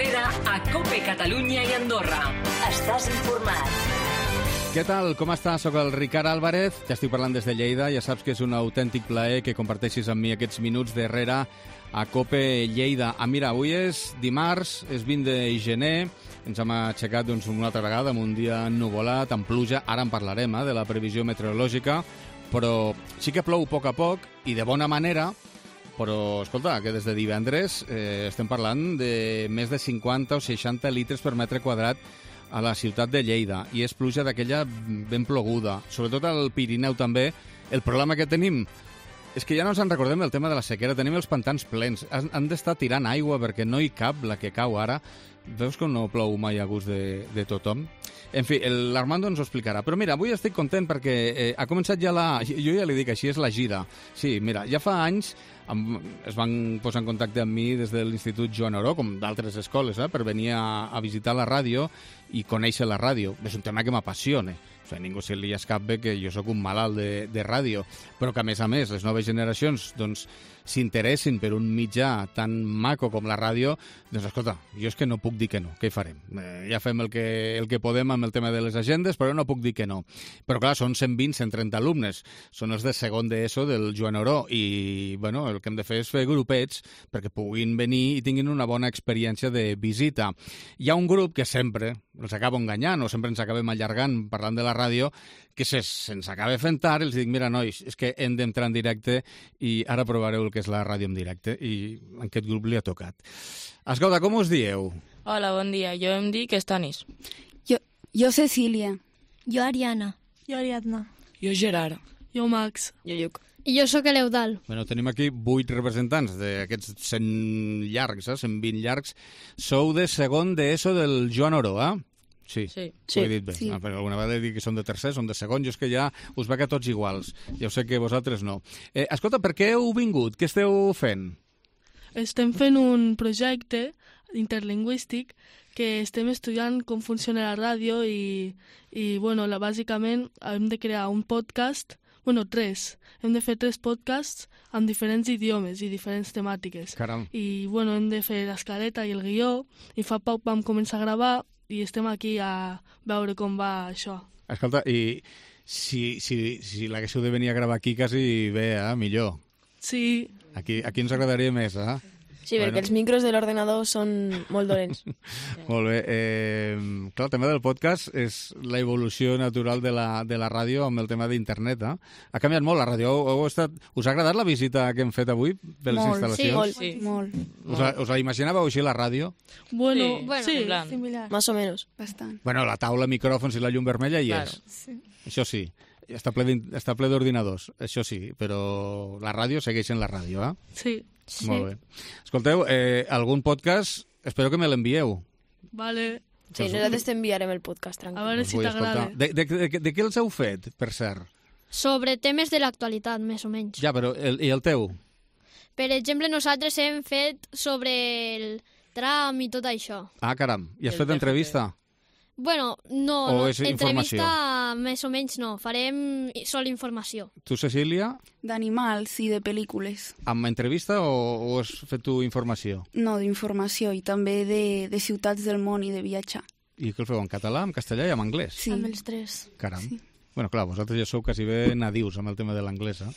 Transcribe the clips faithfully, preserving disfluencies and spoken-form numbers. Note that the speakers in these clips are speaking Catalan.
Herrera a COPE Catalunya i Andorra. Estàs informat. Què tal? Com estàs? Soc el Ricard Álvarez, ja estic parlant des de Lleida, ja saps que és un autèntic plaer que comparteixis amb mi aquests minuts d'Herrera a COPE Lleida. Ah, mira, avui és dimarts, és vint de gener, ens hem aixecat doncs, una altra vegada amb un dia ennuvolat, amb pluja, ara en parlarem eh, de la previsió meteorològica, però sí que plou a poc a poc i de bona manera, però, escolta, que des de divendres eh, estem parlant de més de cinquanta o seixanta litres per metre quadrat a la ciutat de Lleida, i és pluja d'aquella ben ploguda. Sobretot al Pirineu també. El problema que tenim és que ja no ens en recordem del tema de la sequera. Tenim els pantans plens. Han, han d'estar tirant aigua perquè no hi cap la que cau ara. Veus que no plou mai a gust de, de tothom? En fi, l'Armando ens ho explicarà. Però mira, avui estic content perquè eh, ha començat ja la... Jo ja li dic, així és la gira. Sí, mira, ja fa anys amb, es van posar en contacte amb mi des de l'Institut Joan Oró, com d'altres escoles, eh, per venir a, a visitar la ràdio i conèixer la ràdio. És un tema que m'apassiona. O sigui, ningú se li escapa que jo sóc un malalt de, de ràdio, però que, a més a més, les noves generacions doncs, s'interessin per un mitjà tan maco com la ràdio, doncs, escolta, jo és que no puc dir que no. Què hi farem? Eh, ja fem el que, el que podem amb el tema de les agendes, però no puc dir que no. Però, clar, són cent vint cent trenta alumnes. Són els de segon d'ESO del Joan Oró i, bueno, el que hem de fer és fer grupets perquè puguin venir i tinguin una bona experiència de visita. Hi ha un grup que sempre els acabo enganyant o sempre ens acabem allargant parlant de la ràdio, que se, se'ns acaba fent tard i els dic, mira, nois, és que hem d'entrar en directe i ara provareu el que és la ràdio en directe, i a aquest grup li ha tocat. Escolta, com us dieu? Hola, bon dia. Jo em dic Estanis. Jo, jo Cecília. Jo Ariana. Jo Ariadna. Jo Gerard. Jo Max. Jo Lluc. I jo sóc l'Eudal. Bueno, tenim aquí vuit representants d'aquests cent llargs, eh? cent vint llargs. Sou de segon d'ESO del Joan Oró, eh? Sí, sí, ho he dit bé. Sí. No, però alguna vegada he dit que són de tercer, són de segon, jo és que ja us veig a tots iguals. Ja ho sé que vosaltres no. Eh, escolta, per què heu vingut? Què esteu fent? Estem fent un projecte interlingüístic que estem estudiant com funciona la ràdio i, i bueno, la, bàsicament hem de crear un podcast, bueno, tres. Hem de fer tres podcasts amb diferents idiomes i diferents temàtiques. Caram. I bueno, hem de fer l'escaleta i el guió, i fa poc vam començar a gravar i estem aquí a veure com va això. Escolta, i si, si, si l'haguéssiu de venir a gravar aquí quasi bé, eh? Millor. Sí. Aquí, aquí ens agradaria més, eh? Sí, perquè Bueno. els micros de l'ordenador són molt dolents. Molt bé. Eh, clar, el tema del podcast és la evolució natural de la, de la ràdio amb el tema d'internet. Eh? Ha canviat molt la ràdio. Heu, heu estat... Us ha agradat la visita que hem fet avui per les Molt, instal·lacions? sí, molt. Sí. Molt, Us, la, us la imaginàveu així, la ràdio? Bueno, Sí, bueno, sí, sí, en plan. similar. Más o menos. bastant. Bueno, la taula, micròfons i la llum vermella hi Claro. és. Sí. Això sí. Està ple d'in- està ple d'ordinadors, això sí, però la ràdio segueix en la ràdio, eh? Sí. Sí. Molt bé. Escolteu, eh, algun podcast, espero que me l'envieu. Vale. Sí, nosaltres t'enviarem el podcast, A tranquil. veure Us si vull t'agrada. escoltar. De, de, de, de, de què els heu fet, per cert? Sobre temes de l'actualitat, més o menys. Ja, però el, i el teu? Per exemple, nosaltres hem fet sobre el tram i tot això. Ah, caram. I has El fet entrevista? Bueno, no, O no és informació? entrevista més o menys no, farem sol informació. Tu, Cecília, D'animals i de pel·lícules. amb entrevista o, o has fet tu informació? No, d'informació i també de, de ciutats del món i de viatjar. I què el feu, en català, en castellà i en anglès? Sí. Amb els tres. Caram. Sí. Bueno, clar, vosaltres ja sou quasi bé nadius amb el tema de l'anglès, eh?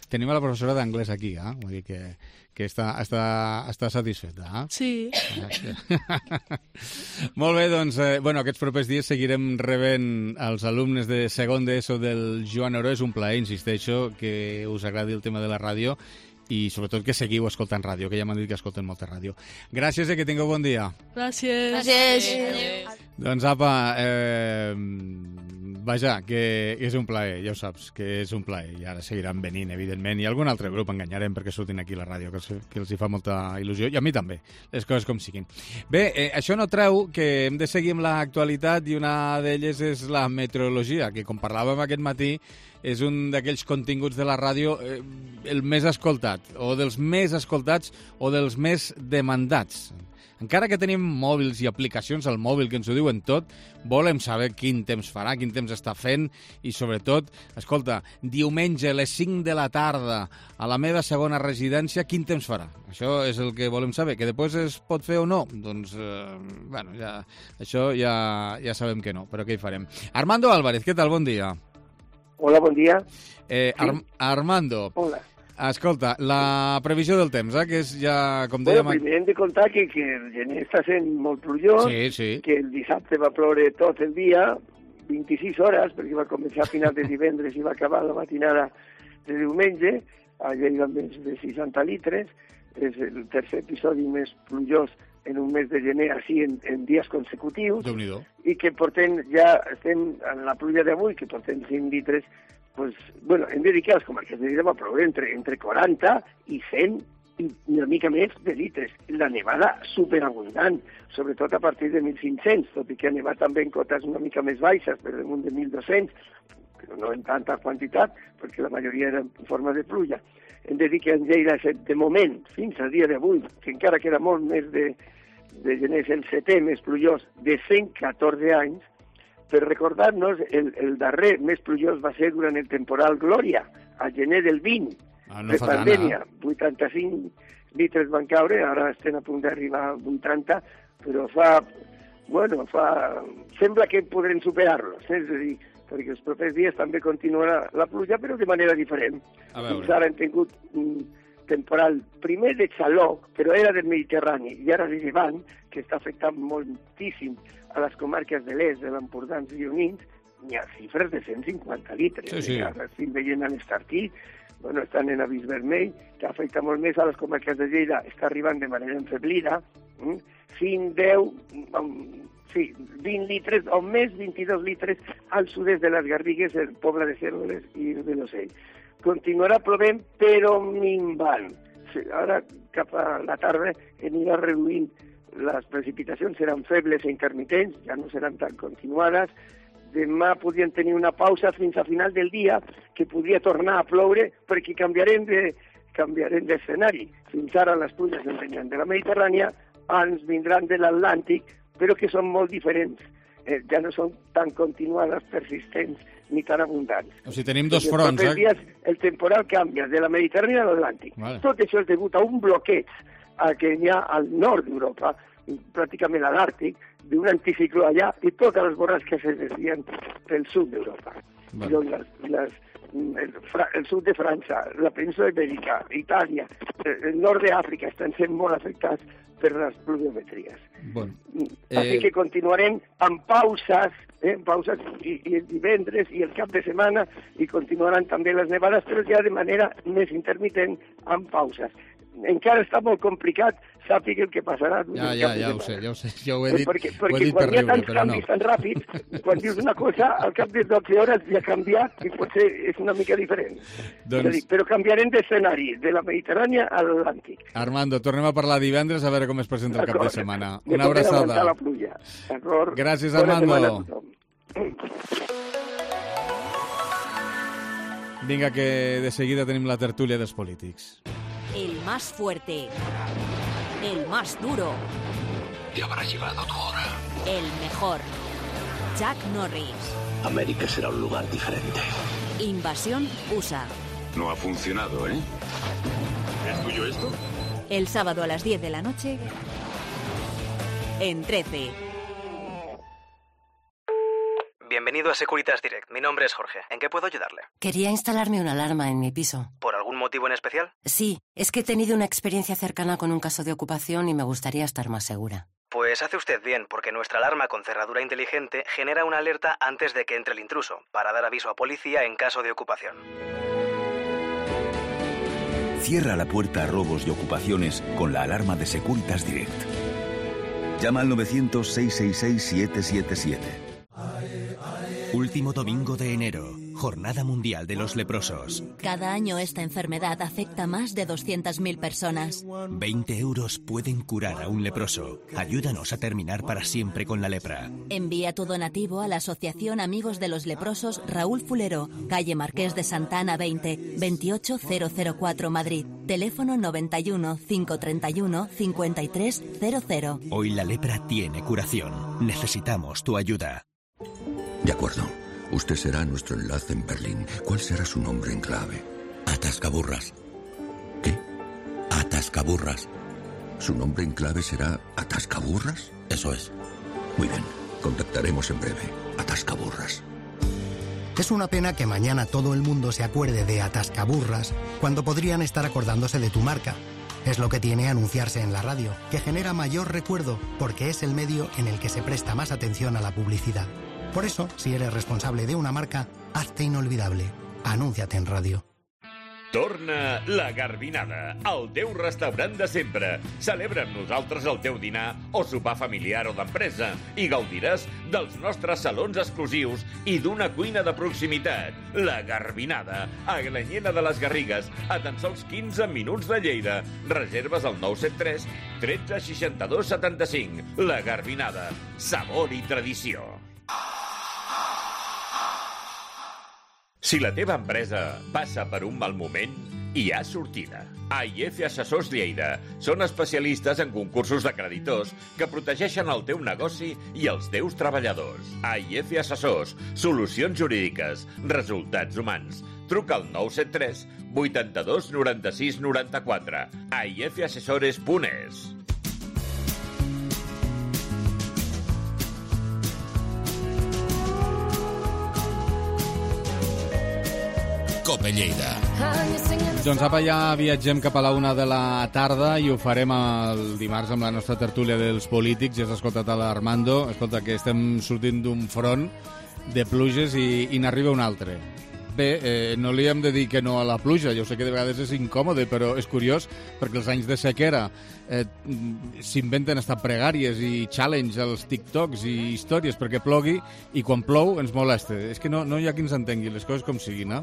Tenim a la professora d'anglès aquí, eh? Vull dir que, que està, està, està satisfeta, eh? Sí. Molt bé, doncs, eh, bueno, aquests propers dies seguirem rebent els alumnes de segon d'ESO del Joan Oró. És un plaer, insisteixo, que us agradi el tema de la ràdio i sobretot que seguiu escoltant ràdio, que ja m'han dit que escolten molta ràdio. Gràcies i que tingueu bon dia. Gràcies. Gràcies. Doncs apa, eh, vaja, que és un plaer, ja ho saps, que és un plaer. I ara seguiran venint, evidentment. I algun altre grup enganyarem perquè surtin aquí a la ràdio, que els, que els hi fa molta il·lusió. I a mi també, les coses com siguin. Bé, eh, això no treu que hem de seguir amb l'actualitat i una d'elles és la meteorologia, que com parlàvem aquest matí és un d'aquells continguts de la ràdio eh, el més escoltat, o dels més escoltats o dels més demandats. encara que tenim mòbils i aplicacions al mòbil que ens ho diuen tot, volem saber quin temps farà, quin temps està fent i, sobretot, escolta, diumenge a les cinc de la tarda a la meva segona residència, quin temps farà? Això és el que volem saber. Que després es pot fer o no? Doncs, eh, bueno, ja, això ja, ja sabem que no, però què hi farem? Armando Álvarez, què tal? Bon dia. Hola, bon dia. Eh, Ar Armando. Hola. Escolta, la previsió del temps, eh, que és ja, com Bueno, dèiem... primer hem de contar que, que el gener està sent molt plujós, Sí, sí. que el dissabte va ploure tot el dia, vint-i-sis hores, perquè va començar a final de divendres i va acabar la matinada de diumenge, a Lleida més de seixanta litres, és el tercer episodi més plujós en un mes de gener, així en, en dies consecutius, Déu-n'hi-do. i que portem, ja estem en la pluja d'avui, que portem cinc litres, pues, bueno, hem de dir que a les comarques de Lleida va ploure entre, entre quaranta i cent i una mica més de litres. La nevada superabundant, sobretot a partir de mil cinc-cents, tot i que ha nevat també en cotes una mica més baixes, per damunt de mil dos-cents, però no en tanta quantitat, perquè la majoria era en forma de pluja. Hem de dir que en Lleida, de moment, fins al dia d'avui, que encara queda molt més de, de gener, és el setè més plujós de cent catorze anys. Per recordar-nos, el, el darrer més plujós va ser durant el temporal Glòria, a gener del vint, Ah, no de fa tant, pandèmia. vuitanta-cinc litres van caure, ara estem a punt d'arribar a vuitanta, però fa, bueno, fa... sembla que podrem superar-los, eh? És a dir, perquè els propers dies també continuarà la pluja, però de manera diferent. A veure. Fins ara hem tingut un temporal primer de xaloc, però era del Mediterrani, i ara de Llevant, que està afectant moltíssim a les comarques de l'est, de l'Empordà i Gironins, n'hi ha xifres de cent cinquanta litres. Sí, sí. Ara estic veient a l'Estartí, bueno, estan en avís vermell, que afecta molt més a les comarques de Lleida, està arribant de manera enfeblida, mm? cinc, deu, sí, vint litres, o més vint-i-dos litres al sud-est de les Garrigues, el poble de Cérvoles i de l'Ocell. Continuarà plovent, però minvant. Sí, ara, cap a la tarda, anirà reduint. Les precipitacions seran febles i intermitents, ja no seran tan continuades. Demà podrien tenir una pausa fins a final del dia, que podria tornar a ploure, perquè canviarem de canviarem d'escenari. Fins ara les pluges ens venien de la Mediterrània, ens vindran de l'Atlàntic, però que són molt diferents. Eh, ja no són tan continuades, persistents, ni tan abundants. O sigui, tenim dos Perquè fronts, els eh? dies el temporal canvia de la Mediterrània a l'Atlàntic. Vale. Tot això és degut a un bloqueig a que hi ha al nord d'Europa, pràcticament a l'Àrtic, d'un anticicló allà, i totes les borrasques es desvien pel sud d'Europa. Vale. Doncs les, les, el, el sud de França, la península ibèrica, Itàlia, el nord d'Àfrica estan sent molt afectats per les pluviometries. Bueno, Així eh, que continuarem amb pauses, eh, pauses i, i el divendres i el cap de setmana, i continuaran també les nevades, però ja de manera més intermitent, amb pauses. Encara està molt complicat, sàpiga el que passarà. ja, ja, ja ho sé, ja ho sé, ja ho he dit, perquè ho perquè he dit per quan hi ha riure, tants però no. canvis tan ràpids, quan dius una cosa, al cap de dotze hores ja ha canviat i potser és una mica diferent. Doncs- És a dir, però canviarem d'escenari, de la Mediterrània a l'Atlàntic. Armando, tornem a parlar divendres a veure com es presenta el cap de D'acord. setmana. Me Una toca aguantar abraçada. la pluja. D'acord? Gràcies, Bona Armando. setmana a tothom. Vinga, que de seguida tenim la tertúlia dels polítics. El más fuerte. El más duro. Te habrá llegado tu hora. El mejor. Chuck Norris. América será un lugar diferente. Invasión U S A. No ha funcionado, ¿eh? ¿Es tuyo esto? El sábado a las diez de la noche. En trece. Bienvenido a Securitas Direct. Mi nombre es Jorge. ¿En qué puedo ayudarle? Quería instalarme una alarma en mi piso. ¿Por algún motivo en especial? Sí, es que he tenido una experiencia cercana con un caso de ocupación y me gustaría estar más segura. Pues hace usted bien, porque nuestra alarma con cerradura inteligente genera una alerta antes de que entre el intruso, para dar aviso a policía en caso de ocupación. Cierra la puerta a robos y ocupaciones con la alarma de Securitas Direct. Llama al novecientos, seiscientos sesenta y seis, siete siete siete. Último domingo de enero. Jornada Mundial de los Leprosos. Cada año esta enfermedad afecta a más de doscientas mil personas. veinte euros pueden curar a un leproso. Ayúdanos a terminar para siempre con la lepra. Envía tu donativo a la Asociación Amigos de los Leprosos Raúl Fulero, calle Marqués de Santa Ana veinte, veintiocho mil cuatro, Madrid. Teléfono noventa y uno, cinco treinta y uno, cincuenta y tres cero cero. Hoy la lepra tiene curación. Necesitamos tu ayuda. De acuerdo. Usted será nuestro enlace en Berlín. ¿Cuál será su nombre en clave? Atascaburras. ¿Qué? Atascaburras. ¿Su nombre en clave será Atascaburras? Eso es. Muy bien. Contactaremos en breve. Atascaburras. Es una pena que mañana todo el mundo se acuerde de Atascaburras cuando podrían estar acordándose de tu marca. Es lo que tiene anunciarse en la radio, que genera mayor recuerdo porque es el medio en el que se presta más atención a la publicidad. Por eso, si eres responsable de una marca, hazte inolvidable. Anúnciate en radio. Torna la Garbinada, el teu restaurant de sempre. Celebra amb nosaltres el teu dinar o sopar familiar o d'empresa i gaudiràs dels nostres salons exclusius i d'una cuina de proximitat. La Garbinada, a Glanyena de les Garrigues, a tan sols quinze minuts de Lleida. Reserves al nou set tres, tretze, seixanta-dos, setanta-cinc. La Garbinada, sabor i tradició. Si la teva empresa passa per un mal moment, hi ha sortida. A I F Assessors Lleida són especialistes en concursos de creditors que protegeixen el teu negoci i els teus treballadors. A I F Assessors, solucions jurídiques, resultats humans. Truca al nou set tres, vuitanta-dos, noranta-sis, noranta-quatre. a i f assessores punt es. Cope Lleida. Doncs apa, ja viatgem cap a la una de la tarda i ho farem el dimarts amb la nostra tertúlia dels polítics. Ja has escoltat a l'Armando. Escolta, que estem sortint d'un front de pluges i, i n'arriba un altre. Bé, eh, no li hem de dir que no a la pluja. Jo sé que de vegades és incòmode, però és curiós perquè els anys de sequera eh, s'inventen hasta pregàries i challenge als TikToks i històries perquè plogui, i quan plou ens molesta. És que no, no hi ha qui ens entengui les coses com siguin, no?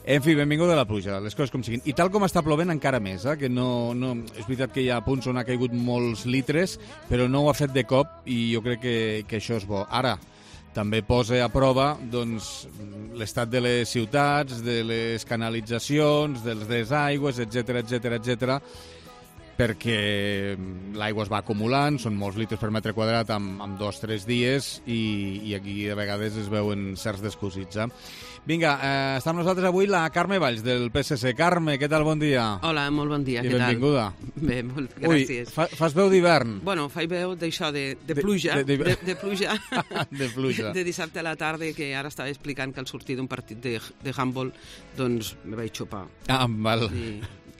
En fi, benvingut a la pluja, les coses com siguin. I tal com està plovent encara més, eh? Que no, no, és veritat que hi ha punts on ha caigut molts litres, però no ho ha fet de cop i jo crec que, que això és bo. Ara, també posa a prova doncs, l'estat de les ciutats, de les canalitzacions, dels desaigües, etcètera, etcètera, etcètera, perquè l'aigua es va acumulant, són molts litres per metre quadrat en, en dos o tres dies i, i aquí a vegades es veuen certs descosits. Eh? Vinga, eh, està amb nosaltres avui la Carme Valls, del P S C. Carme, què tal? Bon dia. Hola, molt bon dia, I què tal? I benvinguda. Bé, molt gràcies. Ui, fa, fas veu d'hivern? Bueno, faig veu d'això, de, de pluja, de, de, de, de pluja, de pluja. De dissabte a la tarda, que ara estava explicant que al sortir d'un partit de, de handball, doncs me vaig xopar. Ah, val. I...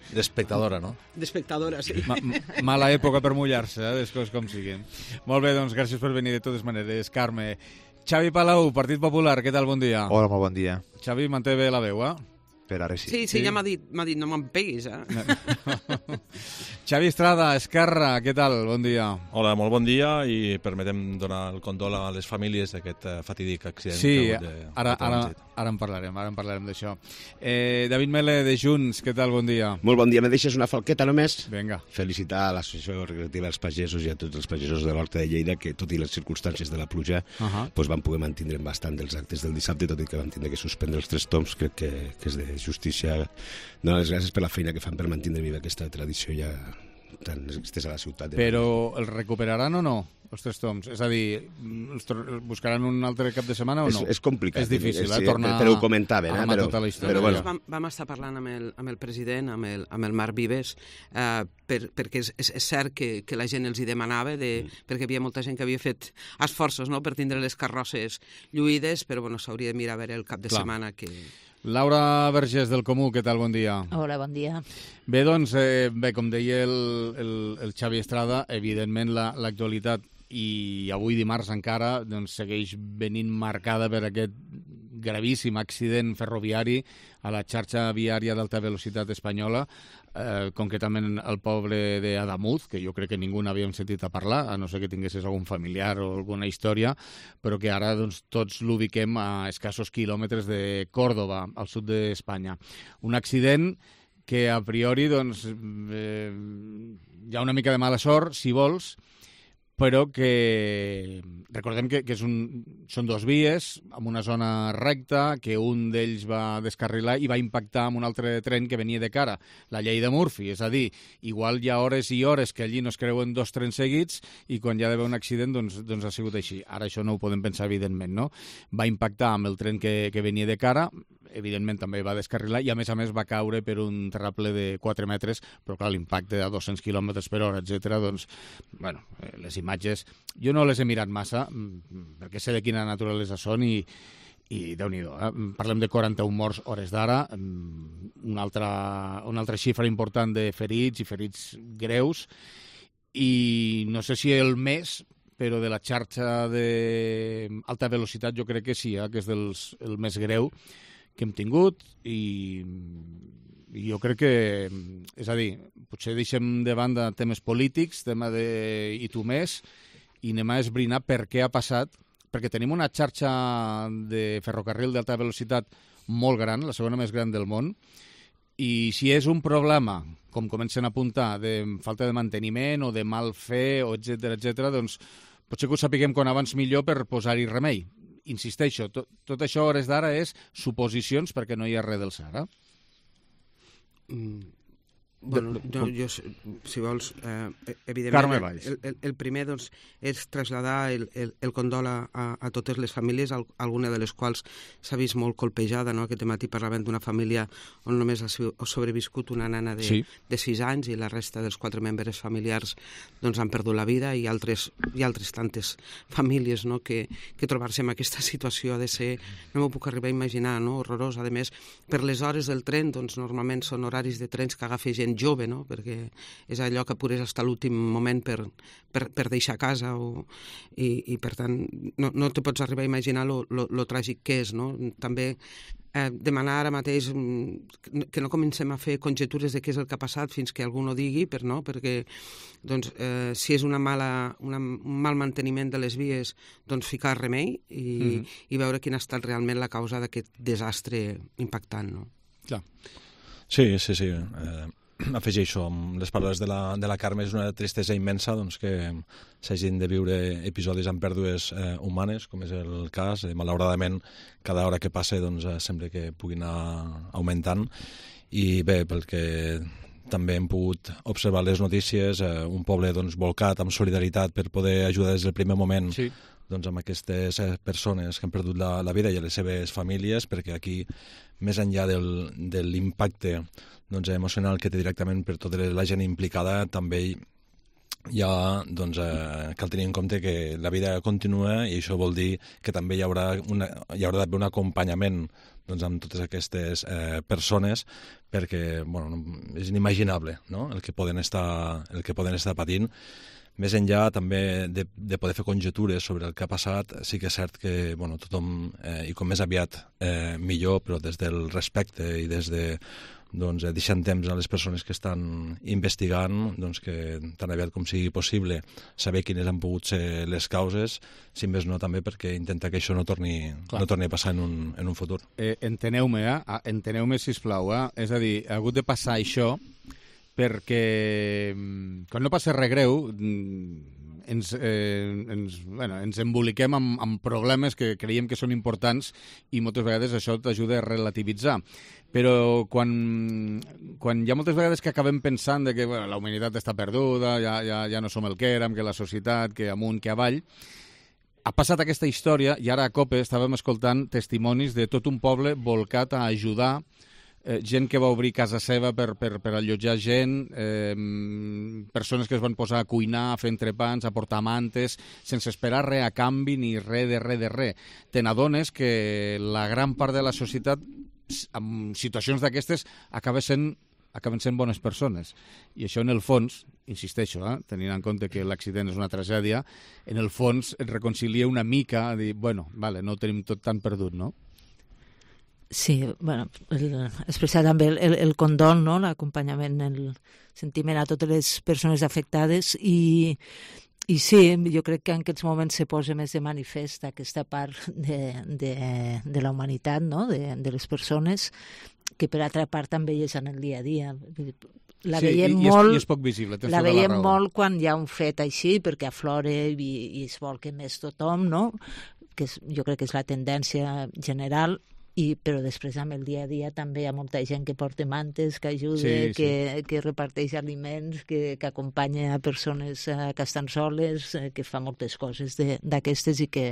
D'espectadora, no? D'espectadora, sí. Ma mala època per mullar-se, eh, les coses com siguin. Molt bé, doncs gràcies per venir de totes maneres, Carme. Xavi Palau, Partit Popular, què tal? Bon dia. Hola, molt bon dia. Xavi, manté bé la veu, eh? Per ara sí. Sí, sí, sí. Ja m'ha dit, m'ha dit, no me'n peguis, eh? Xavi Estrada, Esquerra, què tal? Bon dia. Hola, molt bon dia i permetem donar el condol a les famílies d'aquest fatídic accident. Sí, de, ara, de ara, ara en parlarem, ara en parlarem d'això. Eh, David Mele, de Junts, què tal? Bon dia. Molt bon dia. Me deixes una falqueta només? Vinga. Felicitar a l'Associació Recreativa dels Pagesos i a tots els pagesos de l'Horta de Lleida que, tot i les circumstàncies de la pluja, uh -huh. pues van poder mantenir bastant dels actes del dissabte, tot i que van tindre que suspendre els tres toms. Crec que, que és de justícia. Donar les gràcies per la feina que fan per mantenir viva aquesta tradició ja tan estesa a la ciutat. Però els recuperaran o no, els tres toms? És a dir, els buscaran un altre cap de setmana o no? És, és complicat. És difícil, sí, eh? Tornar però ho comentaven, eh? Però, tota la història. però bueno. Vam, vam estar parlant amb el, amb el president, amb el, amb el Marc Vives, eh, per, perquè és, és, és cert que, que la gent els hi demanava, de, mm. perquè hi havia molta gent que havia fet esforços, no?, per tindre les carrosses lluïdes, però bueno, s'hauria de mirar a veure el cap de Clar. setmana que... Laura Vergés, del Comú, què tal? Bon dia. Hola, bon dia. Bé, doncs, eh, bé, com deia el, el, el Xavi Estrada, evidentment l'actualitat la, i avui dimarts encara doncs, segueix venint marcada per aquest gravíssim accident ferroviari a la xarxa viària d'alta velocitat espanyola. eh, concretament al poble d'Adamuz, que jo crec que ningú n'havíem sentit a parlar, a no ser que tinguessis algun familiar o alguna història, però que ara doncs, tots l'ubiquem a escassos quilòmetres de Còrdova, al sud d'Espanya. Un accident que a priori doncs, eh, hi ha una mica de mala sort, si vols, però que recordem que, que és un, són dos vies amb una zona recta, que un d'ells va descarrilar i va impactar amb un altre tren que venia de cara, la llei de Murphy, és a dir, igual hi ha hores i hores que allí no es creuen dos trens seguits i quan hi ha d'haver un accident doncs, doncs ha sigut així. Ara això no ho podem pensar evidentment, no? Va impactar amb el tren que, que venia de cara, evidentment també va descarrilar i a més a més va caure per un terraple de quatre metres, però clar, l'impacte a dos-cents quilòmetres per hora, etcètera, doncs, bueno, les imatges, jo no les he mirat massa, perquè sé de quina naturalesa són i, i Déu-n'hi-do, eh? Parlem de quaranta-un morts hores d'ara, una altra, una altra xifra important de ferits i ferits greus, i no sé si el més, però de la xarxa d'alta velocitat jo crec que sí, eh? Que és dels, el més greu que hem tingut i, i jo crec que, és a dir, potser deixem de banda temes polítics, tema de i tu més, i anem a esbrinar per què ha passat, perquè tenim una xarxa de ferrocarril d'alta velocitat molt gran, la segona més gran del món, i si és un problema, com comencen a apuntar, de falta de manteniment o de mal fer, o etcètera, etcètera, doncs potser que ho sapiguem quan abans millor per posar-hi remei. Insisteixo, tot, tot això a hores d'ara és suposicions perquè no hi ha res del Sara. Mm. Bueno, jo, jo, si vols, eh, evidentment, Carme Valls. El, el, el primer doncs, és traslladar el, el, el condol a, a totes les famílies, alguna de les quals s'ha vist molt colpejada, no? Aquest matí parlàvem d'una família on només ha sobreviscut una nana de, sí. de sis anys i la resta dels quatre membres familiars doncs, han perdut la vida i altres, i altres tantes famílies, no? que, que trobar-se en aquesta situació ha de ser, no m'ho puc arribar a imaginar, no? Horrorós. A més, per les hores del tren, doncs, normalment són horaris de trens que agafa gent jove, no? Perquè és allò que apures fins a l'últim moment per, per, per deixar casa o, i, i per tant no, no te pots arribar a imaginar lo, lo, lo tràgic que és, no? També eh, demanar ara mateix que no comencem a fer conjectures de què és el que ha passat fins que algú no digui, per, no? Perquè doncs, eh, si és una mala, una, un mal manteniment de les vies, doncs ficar remei i, mm-hmm. i veure quina ha estat realment la causa d'aquest desastre impactant, no? Clar. Sí, sí, sí. Eh... Afegeixo, amb les paraules de la, de la Carme, és una tristesa immensa doncs, que s'hagin de viure episodis amb pèrdues eh, humanes, com és el cas. Eh, malauradament, cada hora que passa doncs, eh, sembla que puguin anar augmentant. I bé, pel que també hem pogut observar les notícies, eh, un poble doncs, volcat amb solidaritat per poder ajudar des del primer moment sí. doncs, amb aquestes persones que han perdut la, la vida i a les seves famílies, perquè aquí, més enllà del, de l'impacte doncs, emocional que té directament per tota la gent implicada, també hi ha, doncs, eh, cal tenir en compte que la vida continua i això vol dir que també hi haurà, una, hi haurà d'haver un acompanyament doncs, amb totes aquestes eh, persones perquè bueno, és inimaginable no? el, que poden estar, el que poden estar patint. Més enllà també de, de poder fer conjectures sobre el que ha passat, sí que és cert que bueno, tothom, eh, i com més aviat eh, millor, però des del respecte i des de doncs, deixant temps a les persones que estan investigant doncs, que tan aviat com sigui possible saber quines han pogut ser les causes, si més no també perquè intenta que això no torni, no torni a passar en un, en un futur. Eh, enteneu-me, eh? enteneu-me sisplau, eh? és a dir, ha hagut de passar això perquè quan no passa res greu ens, eh, ens, bueno, ens emboliquem amb, amb problemes que creiem que són importants i moltes vegades això t'ajuda a relativitzar. Però quan, quan hi ha moltes vegades que acabem pensant de que bueno, la humanitat està perduda, ja, ja, ja no som el que érem, que la societat, que amunt, que avall, ha passat aquesta història i ara a COPE estàvem escoltant testimonis de tot un poble volcat a ajudar Eh, gent que va obrir casa seva per, per, per allotjar gent, eh, persones que es van posar a cuinar, a fer entrepans, a portar mantes, sense esperar res a canvi ni res de res de res. Te n'adones que la gran part de la societat, en situacions d'aquestes, acaba sent, acaben sent bones persones. I això, en el fons, insisteixo, eh, tenint en compte que l'accident és una tragèdia, en el fons et reconcilia una mica a dir, bueno, vale, no ho tenim tot tan perdut, no? Sí, bueno, el, expressar també el, el, el condol, no? L'acompanyament, el sentiment a totes les persones afectades i, i sí, jo crec que en aquests moments se posa més de manifest aquesta part de, de, de la humanitat, no? de, de les persones, que per altra part també és en el dia a dia. La sí, veiem i, molt, i és poc visible, la veiem la molt quan hi ha un fet així, perquè aflora i, i es vol que més tothom, no? Que és, jo crec que és la tendència general, i, però després amb el dia a dia també hi ha molta gent que porta mantes, que ajuda, sí, que, sí. que reparteix aliments, que, que acompanya a persones eh, que estan soles, eh, que fa moltes coses d'aquestes i que,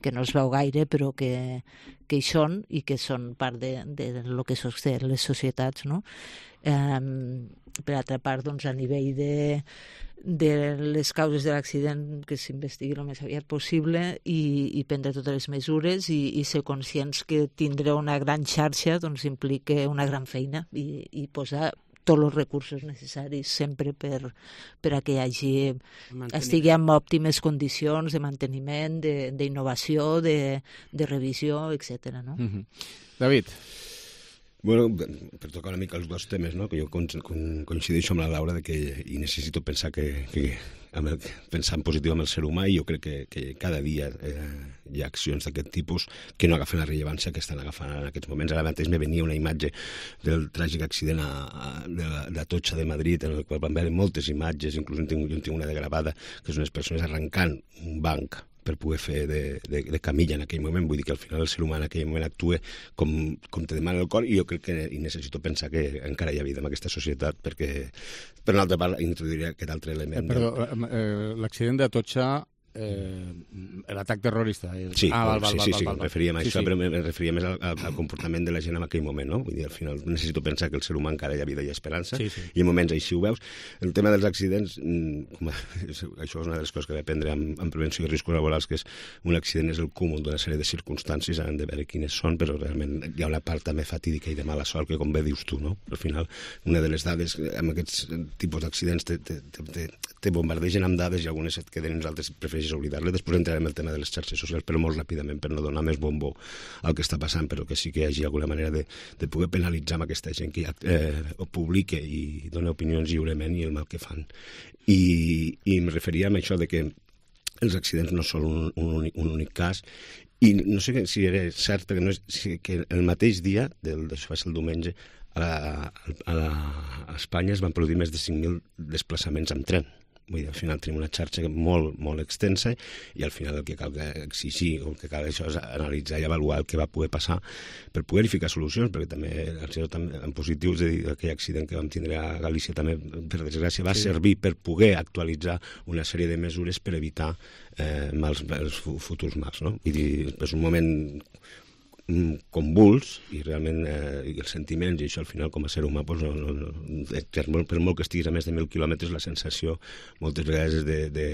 que no es veu gaire, però que, que hi són i que són part de, de lo que sosté les societats, no? Eh, per altra part, doncs, a nivell de de les causes de l'accident que s'investigui el més aviat possible i, i prendre totes les mesures i, i ser conscients que tindre una gran xarxa doncs implica una gran feina i, i posar tots els recursos necessaris sempre per, per a que hi hagi, estigui en òptimes condicions de manteniment, d'innovació, de, de, de revisió, etcètera. No? Mm-hmm. David? Bueno, per tocar una mica els dos temes, no? Que jo coincideixo amb la Laura de que i necessito pensar que, que amb el, pensar en positiu amb el ser humà i jo crec que, que cada dia eh, hi ha accions d'aquest tipus que no agafen la rellevància que estan agafant en aquests moments. Ara mateix me venia una imatge del tràgic accident a, a, de l'Atocha de Madrid en el qual van veure moltes imatges, inclús en tinc, jo en tinc una de gravada, que són unes persones arrencant un banc per poder fer de, de, de camilla en aquell moment. Vull dir que al final el ser humà en aquell moment actua com, com te demana el cor i jo crec que i necessito pensar que encara hi ha vida en aquesta societat perquè, per una altra part, introduiria aquest altre element. Eh, perdó, eh, l'accident d'Atocha, eh, l'atac terrorista. El... Sí, ah, val, val, sí, val, sí, val, sí, val, em referia a sí, això, sí. però em referia més al, al comportament de la gent en aquell moment, no? Vull dir, al final necessito pensar que el ser humà encara hi ha vida i esperança, sí, sí. i en moments així ho veus. El tema dels accidents, com a, això és una de les coses que he d'aprendre en, en prevenció de riscos laborals, que és un accident és el cúmul d'una sèrie de circumstàncies, han de veure quines són, però realment hi ha una part també fatídica i de mala sort, que com bé dius tu, no? Al final, una de les dades, amb aquests tipus d'accidents, te, te, te, te bombardegen amb dades i algunes et queden i nosaltres prefereixes oblidar-les. Després entrarem el tema de les xarxes socials, però molt ràpidament, per no donar més bombo al que està passant, però que sí que hi hagi alguna manera de, de poder penalitzar amb aquesta gent que ja eh, publica i dona opinions lliurement i el mal que fan. I, i em referia a això de que els accidents no són un, un, únic, un únic cas, i no sé si era cert, perquè no és, si, que el mateix dia, del, d'això va ser el diumenge, a, la, a, la, a Espanya es van produir més de cinc mil desplaçaments amb tren. Vull dir, al final tenim una xarxa molt, molt extensa i al final el que cal exigir o el que cal això és analitzar i avaluar el que va poder passar per poder ficar solucions, perquè també, en positiu, és a dir, aquell accident que vam tindre a Galícia també, per desgràcia, va sí. servir per poder actualitzar una sèrie de mesures per evitar eh, mals, els futurs mals, no? Vull dir, és un moment convuls i realment eh, i els sentiments i això al final com a ser humà doncs, no, no, per, molt, per molt que estiguis a més de mil quilòmetres la sensació moltes vegades és de, de,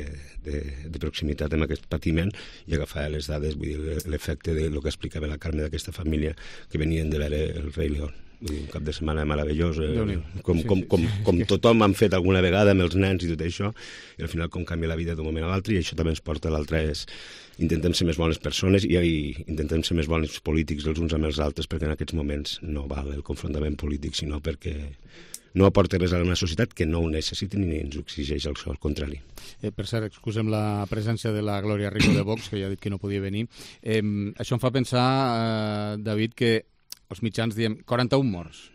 de, de proximitat amb aquest patiment i agafar les dades, vull dir, l'efecte de lo que explicava la Carme d'aquesta família que venien de veure el Rei León. Vull dir, un cap de setmana meravellós, eh, com, com, com, com tothom han fet alguna vegada amb els nens i tot això, i al final com canvia la vida d'un moment a l'altre, i això també ens porta a l'altre és intentem ser més bones persones i, i intentem ser més bons polítics els uns amb els altres, perquè en aquests moments no val el confrontament polític, sinó perquè no aporta res a una societat que no ho necessiti ni ens ho exigeix, això, al contrari. Eh, per cert, excusem la presència de la Glòria Rico de Vox, que ja ha dit que no podia venir. Eh, això em fa pensar, eh, David, que els mitjans diem quaranta-un morts.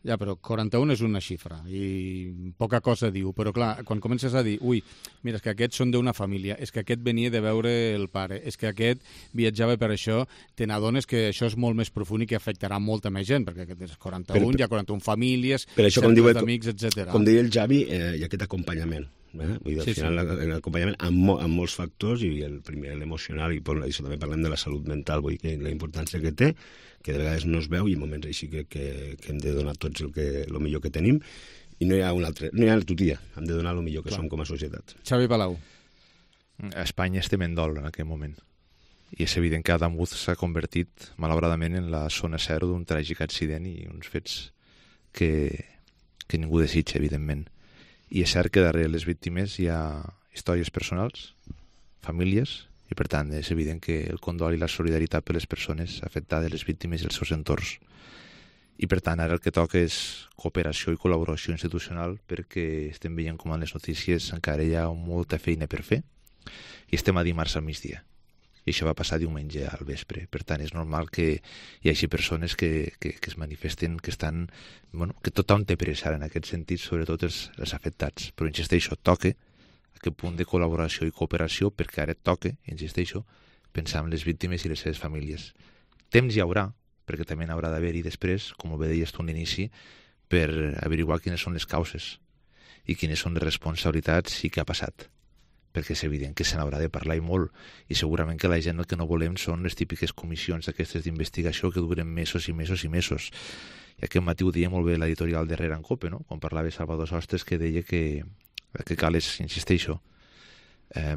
Ja, però quaranta-un és una xifra i poca cosa diu, però clar, quan comences a dir, ui, mira, és que aquests són d'una família, és que aquest venia de veure el pare, és que aquest viatjava per això, te n'adones que això és molt més profund i que afectarà molta més gent, perquè aquest és quaranta-un, per, per, hi ha quaranta-un famílies, cercles d'amics, etcètera. Com diria el Javi, eh, hi ha aquest acompanyament. Eh? Vull dir, al sí, final sí. l'acompanyament amb, mo amb molts factors i el primer l'emocional i per això també parlem de la salut mental, vull dir que la importància que té, que de vegades no es veu i en moments així que, que, que hem de donar tots el, que, el millor que tenim i no hi ha un altre, no hi ha tutia, hem de donar el millor que Clar. som com a societat. Xavi Palau. A Espanya estem en dol en aquest moment i és evident que Adam Wood s'ha convertit malauradament en la zona zero d'un tràgic accident i uns fets que, que ningú desitja, evidentment. I és cert que darrere les víctimes hi ha històries personals, famílies I, per tant, és evident que el condol i la solidaritat per les persones afectades, les víctimes i els seus entorns. I, per tant, ara el que toca és cooperació i col·laboració institucional, perquè estem veient com en les notícies encara hi ha molta feina per fer i estem a dimarts al migdia. I això va passar diumenge al vespre. Per tant, és normal que hi hagi persones que, que, que es manifesten, que estan... Bueno, que tothom té pressa en aquest sentit, sobretot els, els afectats. Però, insisteixo, toca aquest punt de col·laboració i cooperació, perquè ara toca, insisteixo, pensar en les víctimes i les seves famílies. Temps hi haurà, perquè també n'haurà d'haver-hi després, com bé deies tu en l'inici, per averiguar quines són les causes i quines són les responsabilitats i què ha passat. Perquè és evident que se n'haurà de parlar i molt, i segurament que la gent el que no volem són les típiques comissions aquestes d'investigació que duren mesos i mesos i mesos. I aquest matí ho deia molt bé l'editorial de Rere en Cope, no? Quan parlava Salvador Sostres, que deia que el que cal és, insisteixo, eh,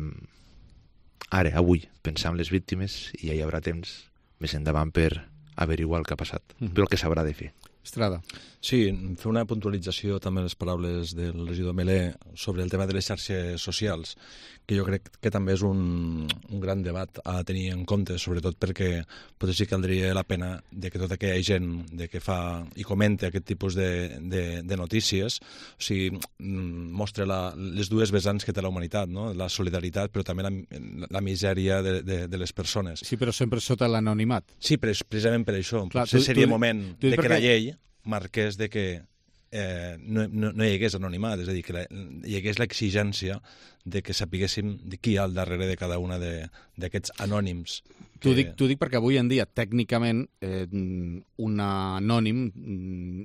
ara, avui, pensar en les víctimes i ja hi haurà temps més endavant per averiguar el que ha passat, mm-hmm. però el que s'haurà de fer. Estrada. Sí, fer una puntualització també en les paraules del regidor Melé sobre el tema de les xarxes socials, que jo crec que també és un, un gran debat a tenir en compte, sobretot perquè potser sí que caldria la pena de que tota aquella gent de que fa i comenta aquest tipus de, de, de notícies, o sigui, mostra la, les dues vessants que té la humanitat, no? La solidaritat, però també la, la misèria de, de, de les persones. Sí, però sempre sota l'anonimat. Sí, precisament per això. Clar, potser tu, seria tu, moment tu, de que perquè... la llei marqués de que eh, no, no, no hi hagués anonimat, és a dir, que la, hi hagués l'exigència de que sapiguéssim de qui hi ha al darrere de cada una d'aquests anònims. Que... T'ho dic, dic perquè avui en dia, tècnicament, eh, un anònim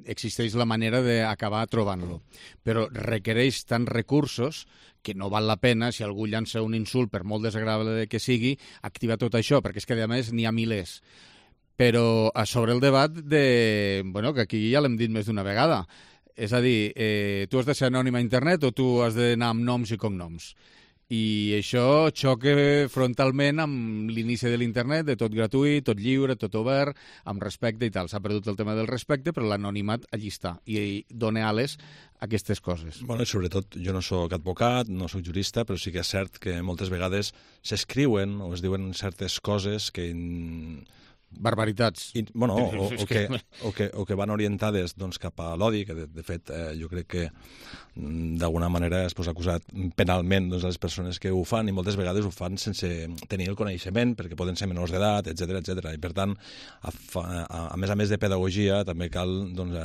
existeix la manera d'acabar trobant-lo, però requereix tants recursos que no val la pena, si algú llança un insult, per molt desagradable que sigui, activar tot això, perquè és que, a més, n'hi ha milers. Però sobre el debat de... Bueno, que aquí ja l'hem dit més d'una vegada. És a dir, eh, tu has de ser anònim a internet o tu has d'anar amb noms i cognoms. I això xoca frontalment amb l'inici de l'internet, de tot gratuït, tot lliure, tot obert, amb respecte i tal. S'ha perdut el tema del respecte, però l'anonimat allí està i dona ales a aquestes coses. Bueno, i sobretot, jo no sóc advocat, no sóc jurista, però sí que és cert que moltes vegades s'escriuen o es diuen certes coses que... Barbaritats. I, bueno, o, o, que, o, que, o que van orientades doncs, cap a l'odi, que de, de fet eh, jo crec que d'alguna manera es pot acusar penalment doncs, a les persones que ho fan, i moltes vegades ho fan sense tenir el coneixement, perquè poden ser menors d'edat, etcètera, etcètera. I per tant, a, a, a més a més de pedagogia, també cal doncs,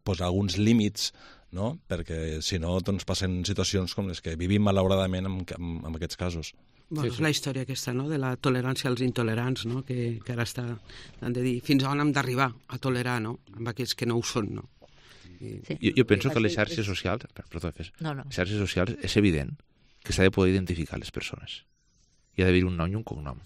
posar alguns límits, no? Perquè si no doncs, passen situacions com les que vivim malauradament en, en, en aquests casos. Bueno, sí, sí. És la història aquesta, no?, de la tolerància als intolerants, no?, que, que ara està, han de dir, fins on hem d'arribar a tolerar, no?, amb aquells que no ho són, no? I... Sí. Jo, jo penso que les xarxes socials, perdó, fes, no, no. les xarxes socials és evident que s'ha de poder identificar les persones. Hi ha d'haver un nom i un cognom.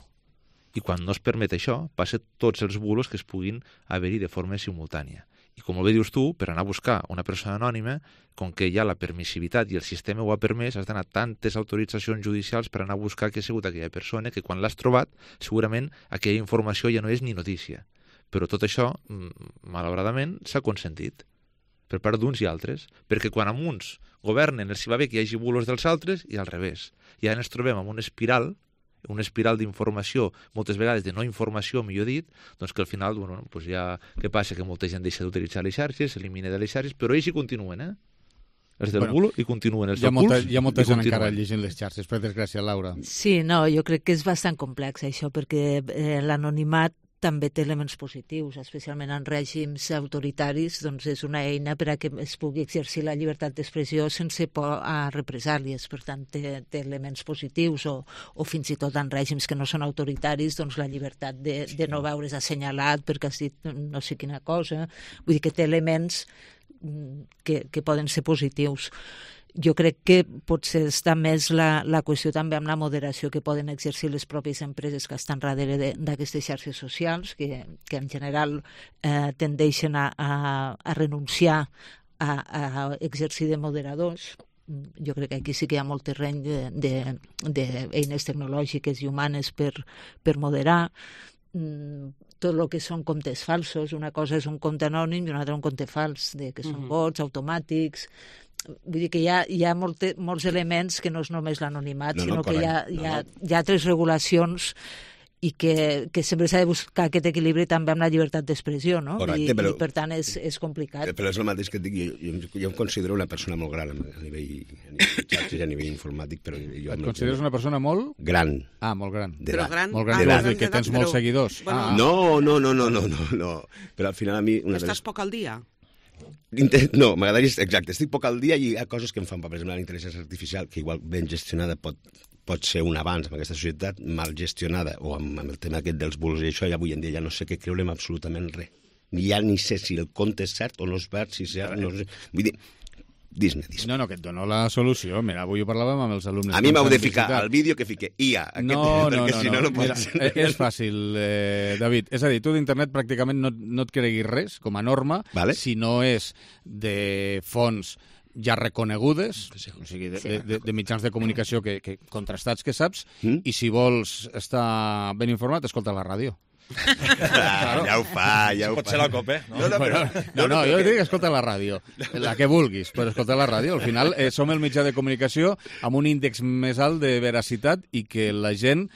I quan no es permet això, passa tots els bulos que es puguin haver-hi de forma simultània. I com bé dius tu, per anar a buscar una persona anònima, com que hi ha la permissivitat i el sistema ho ha permès, has d'anar tantes autoritzacions judicials per anar a buscar què ha sigut aquella persona, que quan l'has trobat, segurament aquella informació ja no és ni notícia. Però tot això, malauradament, s'ha consentit per part d'uns i altres, perquè quan amb uns governen els hi va bé que hi hagi bulos dels altres i al revés. I ara ens trobem amb una espiral una espiral d'informació, moltes vegades de no informació, millor dit, doncs que al final, bueno, doncs ja, què passa? Que molta gent deixa d'utilitzar les xarxes, s'elimina de les xarxes, però ells hi continuen, eh? Els del bueno, bulo i continuen els del molta, hi ha molta gent continuen. Encara llegint les xarxes, per desgràcia, Laura. Sí, no, jo crec que és bastant complex això, perquè eh, l'anonimat també té elements positius, especialment en règims autoritaris, doncs és una eina per a que es pugui exercir la llibertat d'expressió sense por a represàlies, per tant té, té elements positius, o, o fins i tot en règims que no són autoritaris, doncs la llibertat de, de no veure's assenyalat perquè has dit no sé quina cosa, vull dir que té elements que, que poden ser positius. Jo crec que potser està més la, la qüestió també amb la moderació que poden exercir les pròpies empreses que estan darrere d'aquestes xarxes socials, que, que en general eh, tendeixen a, a, a renunciar a, a exercir de moderadors. Jo crec que aquí sí que hi ha molt terreny d'eines tecnològiques i humanes per, per moderar. Tot el que són comptes falsos, una cosa és un compte anònim i una altra un compte fals, de, que són mm-hmm. bots automàtics. vull dir que hi ha, hi ha molte, molts elements que no és només l'anonimat, No, no, sinó que hi ha, correcte. hi, ha, No, hi ha altres regulacions i que, que sempre s'ha de buscar aquest equilibri també amb la llibertat d'expressió, no? Correcte, I, però- I per tant és, és complicat. Però és el mateix que et dic, jo, jo, jo em considero una persona molt gran a nivell, a nivell de xarxes i a nivell informàtic, però jo... Et consideres una persona molt... Gran. Ah, molt gran. Però gran- Molt gran, ah, vols gran dir que d'edat, tens molts però- seguidors. Bueno, ah. No, no, no, no, no, no, no. Però al final a mi... Una de Estàs les... poc al dia? Inte- No, m'agradaria... Exacte, estic poc al dia i hi ha coses que em fan, per exemple, la intel·ligència artificial, que igual ben gestionada pot, pot ser un avanç en aquesta societat, mal gestionada, o amb, amb el tema aquest dels bulos i això, ja avui en dia ja no sé què creure amb absolutament res. Ja ni sé si el conte és cert o no és verd, si és cert, no sé... Vull dir, dis-me, dis-me. No, no, que et dono la solució. Mira, avui ho parlàvem amb els alumnes. A mi que m'heu ens de han ficar visitat. al vídeo que fique I A, aquest, No, no, perquè no, si no, no. no pot Mira, ser. eh, és fàcil, eh, David. És a dir, tu d'internet pràcticament no, no et creguis res, com a norma, vale. si no és de fonts ja reconegudes, o sigui, de, de, de, de mitjans de comunicació que, que contrastats que saps, mm? i si vols estar ben informat, escolta la ràdio. Claro. Ja ho fa, ja ho Pot fa. ser la COPE, no? No, no, però... No, no, jo dic escolta la ràdio, la que vulguis, però escolta la ràdio. Al final eh, som el mitjà de comunicació amb un índex més alt de veracitat i que la gent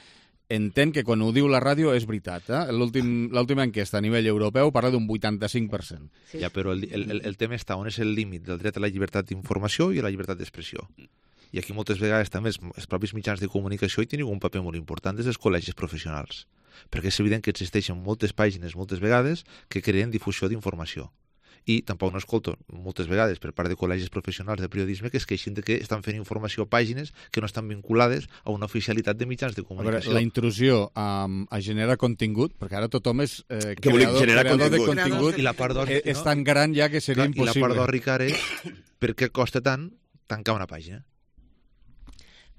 entén que quan ho diu la ràdio és veritat. Eh? L'últim- L'última enquesta a nivell europeu parla d'un vuitanta-cinc per cent. Sí. Ja, però el, el, el tema està on és el límit del dret a la llibertat d'informació i a la llibertat d'expressió. I aquí moltes vegades també els, els propis mitjans de comunicació hi tenen un paper molt important des dels col·legis professionals. Perquè és evident que existeixen moltes pàgines, moltes vegades, que creen difusió d'informació. I tampoc no escolto moltes vegades per part de col·legis professionals de periodisme que es queixin de que estan fent informació a pàgines que no estan vinculades a una oficialitat de mitjans de A veure, comunicació. la intrusió a, a generar contingut, perquè ara tothom és eh, Què vol dir creador, generar creador de contingut? contingut, I la part d'or- eh, és tan gran ja que seria Clar, I impossible. la part d'or, Ricard, és per què costa tant tancar una pàgina?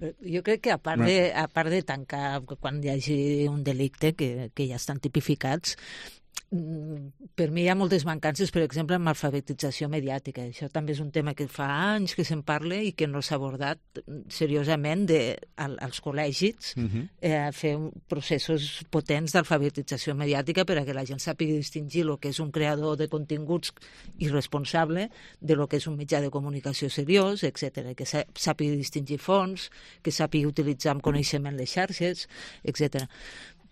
Però jo crec que a part, de, a part de tancar quan hi hagi un delicte, que, que ja estan tipificats, per mi hi ha moltes mancances, per exemple, amb alfabetització mediàtica. Això també és un tema que fa anys que se'n parla i que no s'ha abordat seriosament de, al, als col·legis, Mhm. eh, fer processos potents d'alfabetització mediàtica per a que la gent sàpiga distingir el que és un creador de continguts irresponsable de lo que és un mitjà de comunicació seriós, etcètera. Que sà- sàpiga distingir fonts, que sàpiga utilitzar amb coneixement les xarxes, etcètera.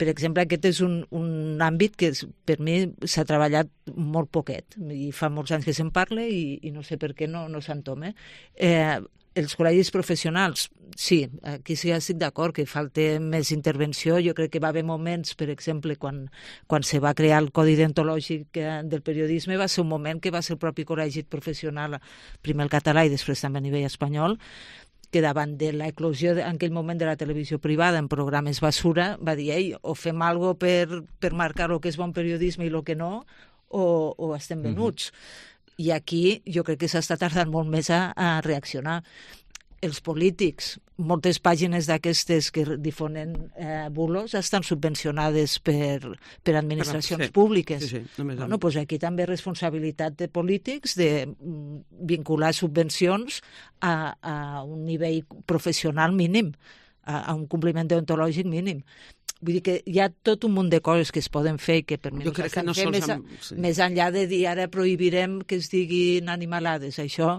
Per exemple, aquest és un, un àmbit que és, per mi s'ha treballat molt poquet i fa molts anys que se'n parla i, i no sé per què no, no s'entoma. Eh, els col·legis professionals, sí, aquí sí que estic d'acord que falta més intervenció. Jo crec que va haver moments, per exemple, quan, quan se va crear el Codi Deontològic eh, del periodisme, va ser un moment que va ser el propi col·legi professional, primer el català i després també a nivell espanyol, que davant de l'eclosió en aquell moment de la televisió privada en programes basura, va dir, ei, o fem alguna cosa per, per marcar el que és bon periodisme i el que no, o, o estem venuts. Mm-hmm. I aquí jo crec que s'està tardant molt més a, a reaccionar. Els polítics, moltes pàgines d'aquestes que difonen eh, bulos estan subvencionades per, per administracions sí. públiques. Sí, sí, només bueno, doncs aquí també responsabilitat de polítics de mm, vincular subvencions a, a un nivell professional mínim, a, a un compliment deontològic mínim. Vull dir que hi ha tot un munt de coses que es poden fer i que per mi Jo crec que no fer sols més, a, amb- sí. més enllà de dir ara prohibirem que es diguin animalades. Això,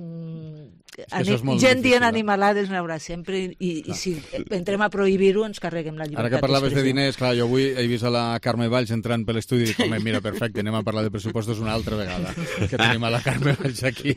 mm, això és molt gent difícil, dient eh? animalades n'hi haurà sempre i, i si entrem a prohibir-ho ens carreguem la llibertat Ara que parlaves de d'expressió. diners, clar, jo avui he vist a la Carme Valls entrant per l'estudi i dic, home, mira, perfecte, anem a parlar de pressupostos una altra vegada, que tenim a la Carme Valls aquí.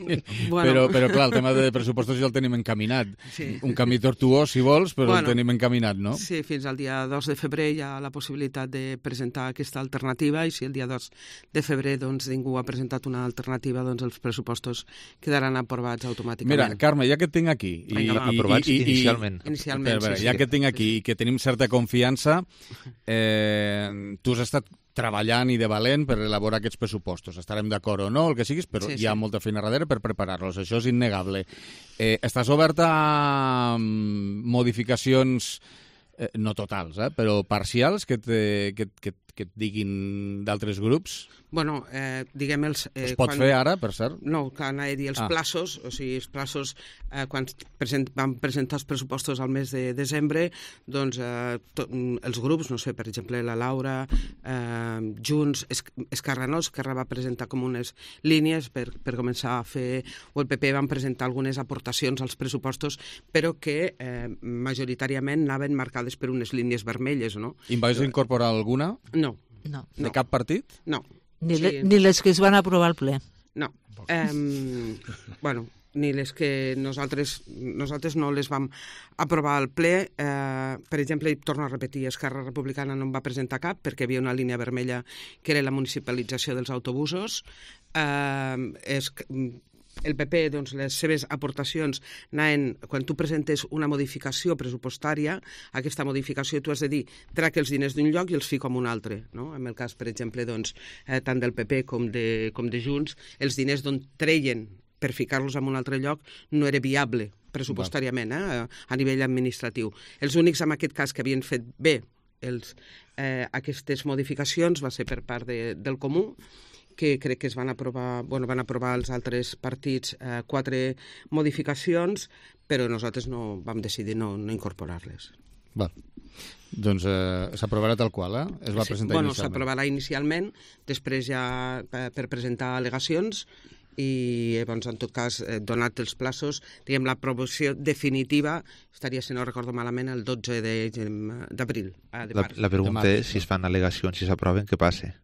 Bueno. Però, però, clar, el tema de pressupostos ja el tenim encaminat. Sí. Un camí tortuós, si vols, però Bueno, el tenim encaminat, no? Sí, fins al dia dos de febrer hi ha la possibilitat de presentar aquesta alternativa i si el dia dos de febrer doncs, ningú ha presentat una alternativa, doncs els pressupostos quedaran aprovats automàticament. Mira, Carme, ja que et tinc aquí... I, Vinga, va. i, Aprovats i, i, inicialment. Inicialment, Espera, espera, sí, ja sí. que et tinc aquí i que tenim certa confiança, eh, tu has estat treballant i de valent per elaborar aquests pressupostos. Estarem d'acord o no, el que siguis, però Sí, hi ha sí. molta feina darrere per preparar-los. Això és innegable. Eh, estàs oberta a mm, modificacions eh, no totals, eh, però parcials que, te, que, que, que et diguin d'altres grups? Bueno, eh, diguem els... Eh, es pot quan... fer ara, per cert? No, que anava a dir els ah. plaços, o sigui, els plaços, eh, quan present, vam presentar els pressupostos al mes de desembre, doncs eh, to, els grups, no sé, per exemple, la Laura, eh, Junts, es, Esquerra no, Esquerra va presentar com unes línies per, per començar a fer, o el P P van presentar algunes aportacions als pressupostos, però que eh, majoritàriament anaven marcades per unes línies vermelles, no? I en vais incorporar alguna? No. No. De no. cap partit? No. Ni, sí. le, ni les que es van aprovar al ple. No. Um, bueno, ni les que nosaltres, nosaltres no les vam aprovar al ple. Uh, per exemple, torno a repetir, Esquerra Republicana no en va presentar cap perquè hi havia una línia vermella que era la municipalització dels autobusos. Uh, és... El P P, doncs, les seves aportacions anaven, quan tu presentes una modificació pressupostària, aquesta modificació tu has de dir, trec els diners d'un lloc i els fico en un altre, no? En el cas, per exemple, doncs, eh, tant del P P com de, com de Junts, els diners d'on treien per ficar-los en un altre lloc no era viable pressupostàriament, eh, a nivell administratiu. Els únics, en aquest cas, que havien fet bé els, eh, aquestes modificacions va ser per part de, del Comú, que crec que es van aprovar, bueno, van aprovar els altres partits eh, quatre modificacions, però nosaltres no vam decidir no, no incorporar-les. Va. Doncs eh, s'aprovarà tal qual, eh? Es va sí, presentar bueno, inicialment. s'aprovarà inicialment, després ja eh, per presentar al·legacions i llavors, en tot cas, eh, donat els plaços, diguem, l'aprovació definitiva estaria, si no recordo malament, el dotze d'abril. La, la pregunta és, si es fan al·legacions, si s'aproven, què passa?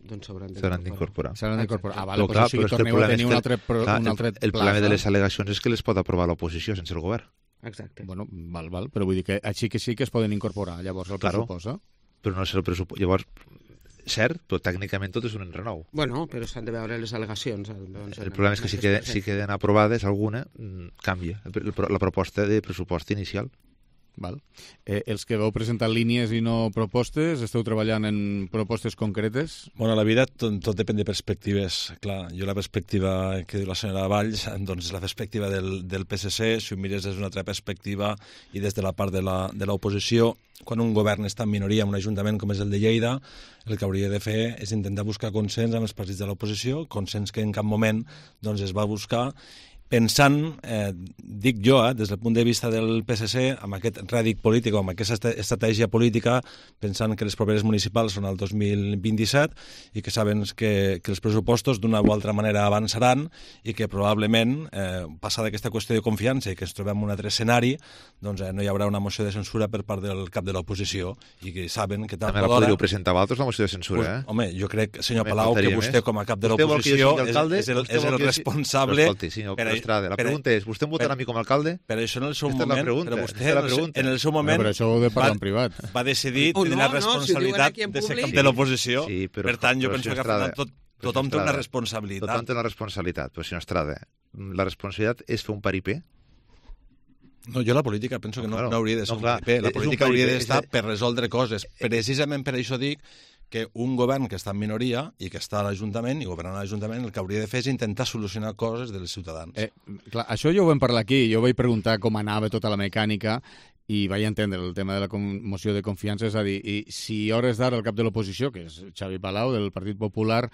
Doncs s'hauran d'incorporar. S'hauran d'incorporar. Ah, vale, però, clar, o sigui, però torneu a tenir un altre, pro, clar, un altre el, el problema de les al·legacions és que les pot aprovar l'oposició sense el govern. Exacte. Bueno, val, val, però vull dir que així que sí que es poden incorporar, llavors, el claro, pressupost, eh? Però no és el pressupost. Llavors, cert, però tècnicament tot és un enrenou. Bueno, però s'han de veure les al·legacions. Doncs, el problema és que si queden, si queden aprovades alguna, canvia la proposta de pressupost inicial. Val. Eh, els que vau presentar línies i no propostes, esteu treballant en propostes concretes? Bueno, la vida tot, tot depèn de perspectives. Clar, jo la perspectiva que diu la senyora Valls, doncs és la perspectiva del, del P S C, si ho mires des d'una altra perspectiva i des de la part de la, de l'oposició, quan un govern està en minoria en un ajuntament com és el de Lleida, el que hauria de fer és intentar buscar consens amb els partits de l'oposició, consens que en cap moment doncs, es va buscar, pensant, eh, dic jo, eh, des del punt de vista del P S C, amb aquest rèdic polític, amb aquesta estratègia política, pensant que les properes municipals són el dos mil vint-i-set i que saben que, que els pressupostos d'una o altra manera avançaran i que probablement, eh, passada aquesta qüestió de confiança i que ens trobem en un altre escenari, doncs eh, no hi haurà una moció de censura per part del cap de l'oposició i que saben que tard o d'hora... També la podríeu presentar vosaltres, la moció de censura, eh? Pues, home, jo crec, senyor Palau, que vostè com a cap de l'oposició és, és el, és el responsable... Escolti, senyor Estrada, la pregunta és, vostè em votarà a mi com a alcalde? Per això en el seu Aquesta moment, pregunta, però vostè en el seu moment però això ho de parlar en privat. Va decidir oh, tenir no, la responsabilitat no, si de ser cap sí. de l'oposició. Sí, però, per tant, jo però, penso que Estrada, tot, tothom té una responsabilitat. Tothom té una responsabilitat, però senyor Estrada, la responsabilitat és fer un paripé? No, jo la política penso que no, claro, no hauria de ser no, un clar, paripé. La política paripé, hauria d'estar és... per resoldre coses. Precisament per això dic que un govern que està en minoria i que està a l'Ajuntament i governant a l'Ajuntament el que hauria de fer és intentar solucionar coses dels ciutadans. Eh, clar, això jo ho vam parlar aquí, jo vaig preguntar com anava tota la mecànica i vaig entendre el tema de la moció de confiança, és a dir, i si a hores d'ara el cap de l'oposició, que és Xavi Palau, del Partit Popular,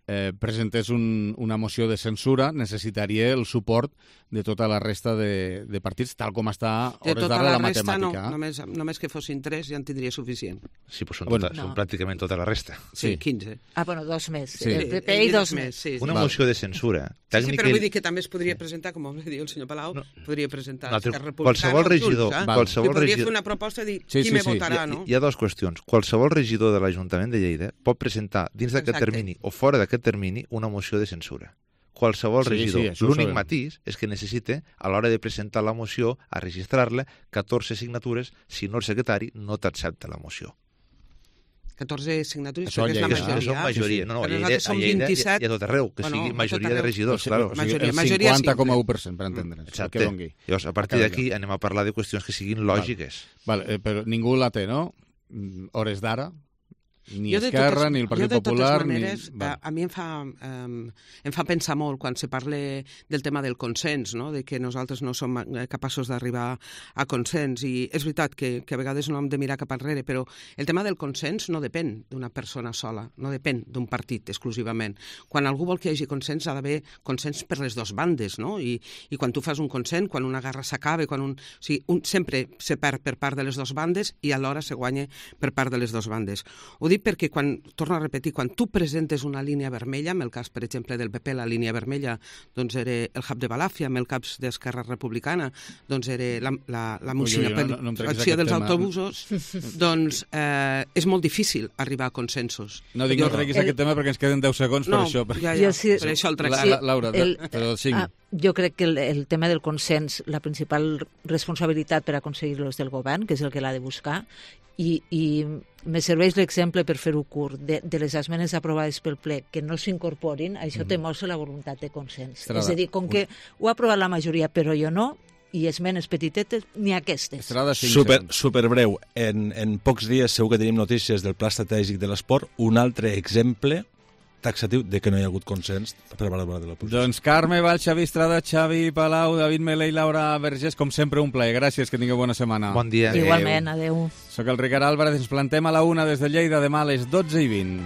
eh, presentés un, una moció de censura, necessitaria el suport de tota la resta de, de partits, tal com està a hores d'ara la, la resta, matemàtica. No, només, només que fossin tres ja en tindria suficient. Sí, però són, bueno, tota, no. són pràcticament tota la resta. Sí, quinze. Ah, bueno, dos més. Sí. El P P i dos més. Sí, sí. Una Val. moció de censura. Sí, sí, però vull dir que també es podria presentar, com va dir el senyor Palau, no. podria presentar no, Esquerra Republicana. Qualsevol regidor, Junts, eh? qualsevol podria regidor... fer una proposta i dir sí, qui sí, me sí. votarà, hi, no? Hi ha dues qüestions. Qualsevol regidor de l'Ajuntament de Lleida pot presentar dins d'aquest termini o fora d'aquest termini una moció de censura. Qualsevol sí, regidor. Sí, L'únic matís és que necessita, a l'hora de presentar la moció, a registrar-la, catorze signatures, si no el secretari no t'accepta la moció. catorze signatures, això perquè és la Lleida, majoria. Són majoria. No, no, però a Lleida, a Lleida vint-i-set... i a tot arreu, que bueno, sigui majoria de regidors, claro. O sigui, el cinquanta coma u per cent, per entendre'ns. Exacte. Llavors, a partir d'aquí anem a parlar de qüestions que siguin lògiques. Vale, vale, eh, però ningú la té, no? Hores d'ara? Ni Esquerra, ni el Partit Popular... Jo, de totes maneres, ni... a, a mi em fa, um, em fa pensar molt quan se parla del tema del consens, no? De que nosaltres no som capaços d'arribar a consens. I és veritat que, que a vegades no hem de mirar cap enrere, però el tema del consens no depèn d'una persona sola, no depèn d'un partit exclusivament. Quan algú vol que hi hagi consens, ha d'haver consens per les dues bandes, no? I, i quan tu fas un consens, quan una guerra s'acaba, quan un... O sigui, un, sempre se perd per part de les dues bandes i alhora se guanya per part de les dues bandes. Ho dic perquè, quan, torno a repetir, quan tu presentes una línia vermella, en el cas, per exemple, del P P, la línia vermella doncs era el hub de Balàfia, en el cas d'Esquerra Republicana, doncs era la, la, la municipalització no, no, no dels tema. autobusos, doncs eh, és molt difícil arribar a consensos. No dic jo, no treguis el... aquest tema perquè ens queden deu segons no, per això. Per... Ja, ja, sí, per això el trec. La, la, Laura, el, però cinc. Ah, jo crec que el, el tema del consens, la principal responsabilitat per aconseguir-lo és del govern, que és el que l'ha de buscar, i, i me serveix l'exemple, per fer-ho curt, de, de les esmenes aprovades pel ple que no s'incorporin, això mm. té mostra la voluntat de consens. Estrada. És a dir, com que ho ha aprovat la majoria, però jo no, i esmenes petitetes, ni aquestes. Super, super breu. En, en pocs dies segur que tenim notícies del Pla Estratègic de l'Esport, un altre exemple taxatiu de que no hi ha hagut consens per valorar de l'oposició. Doncs Carme Val, Xavi Estrada, Xavi Palau, David Melé i Laura Vergés, com sempre un plaer. Gràcies, que tingueu bona setmana. Bon dia. Igualment, adeu. Soc el Ricard Álvarez, ens plantem a la una des de Lleida, demà a les dotze i vint.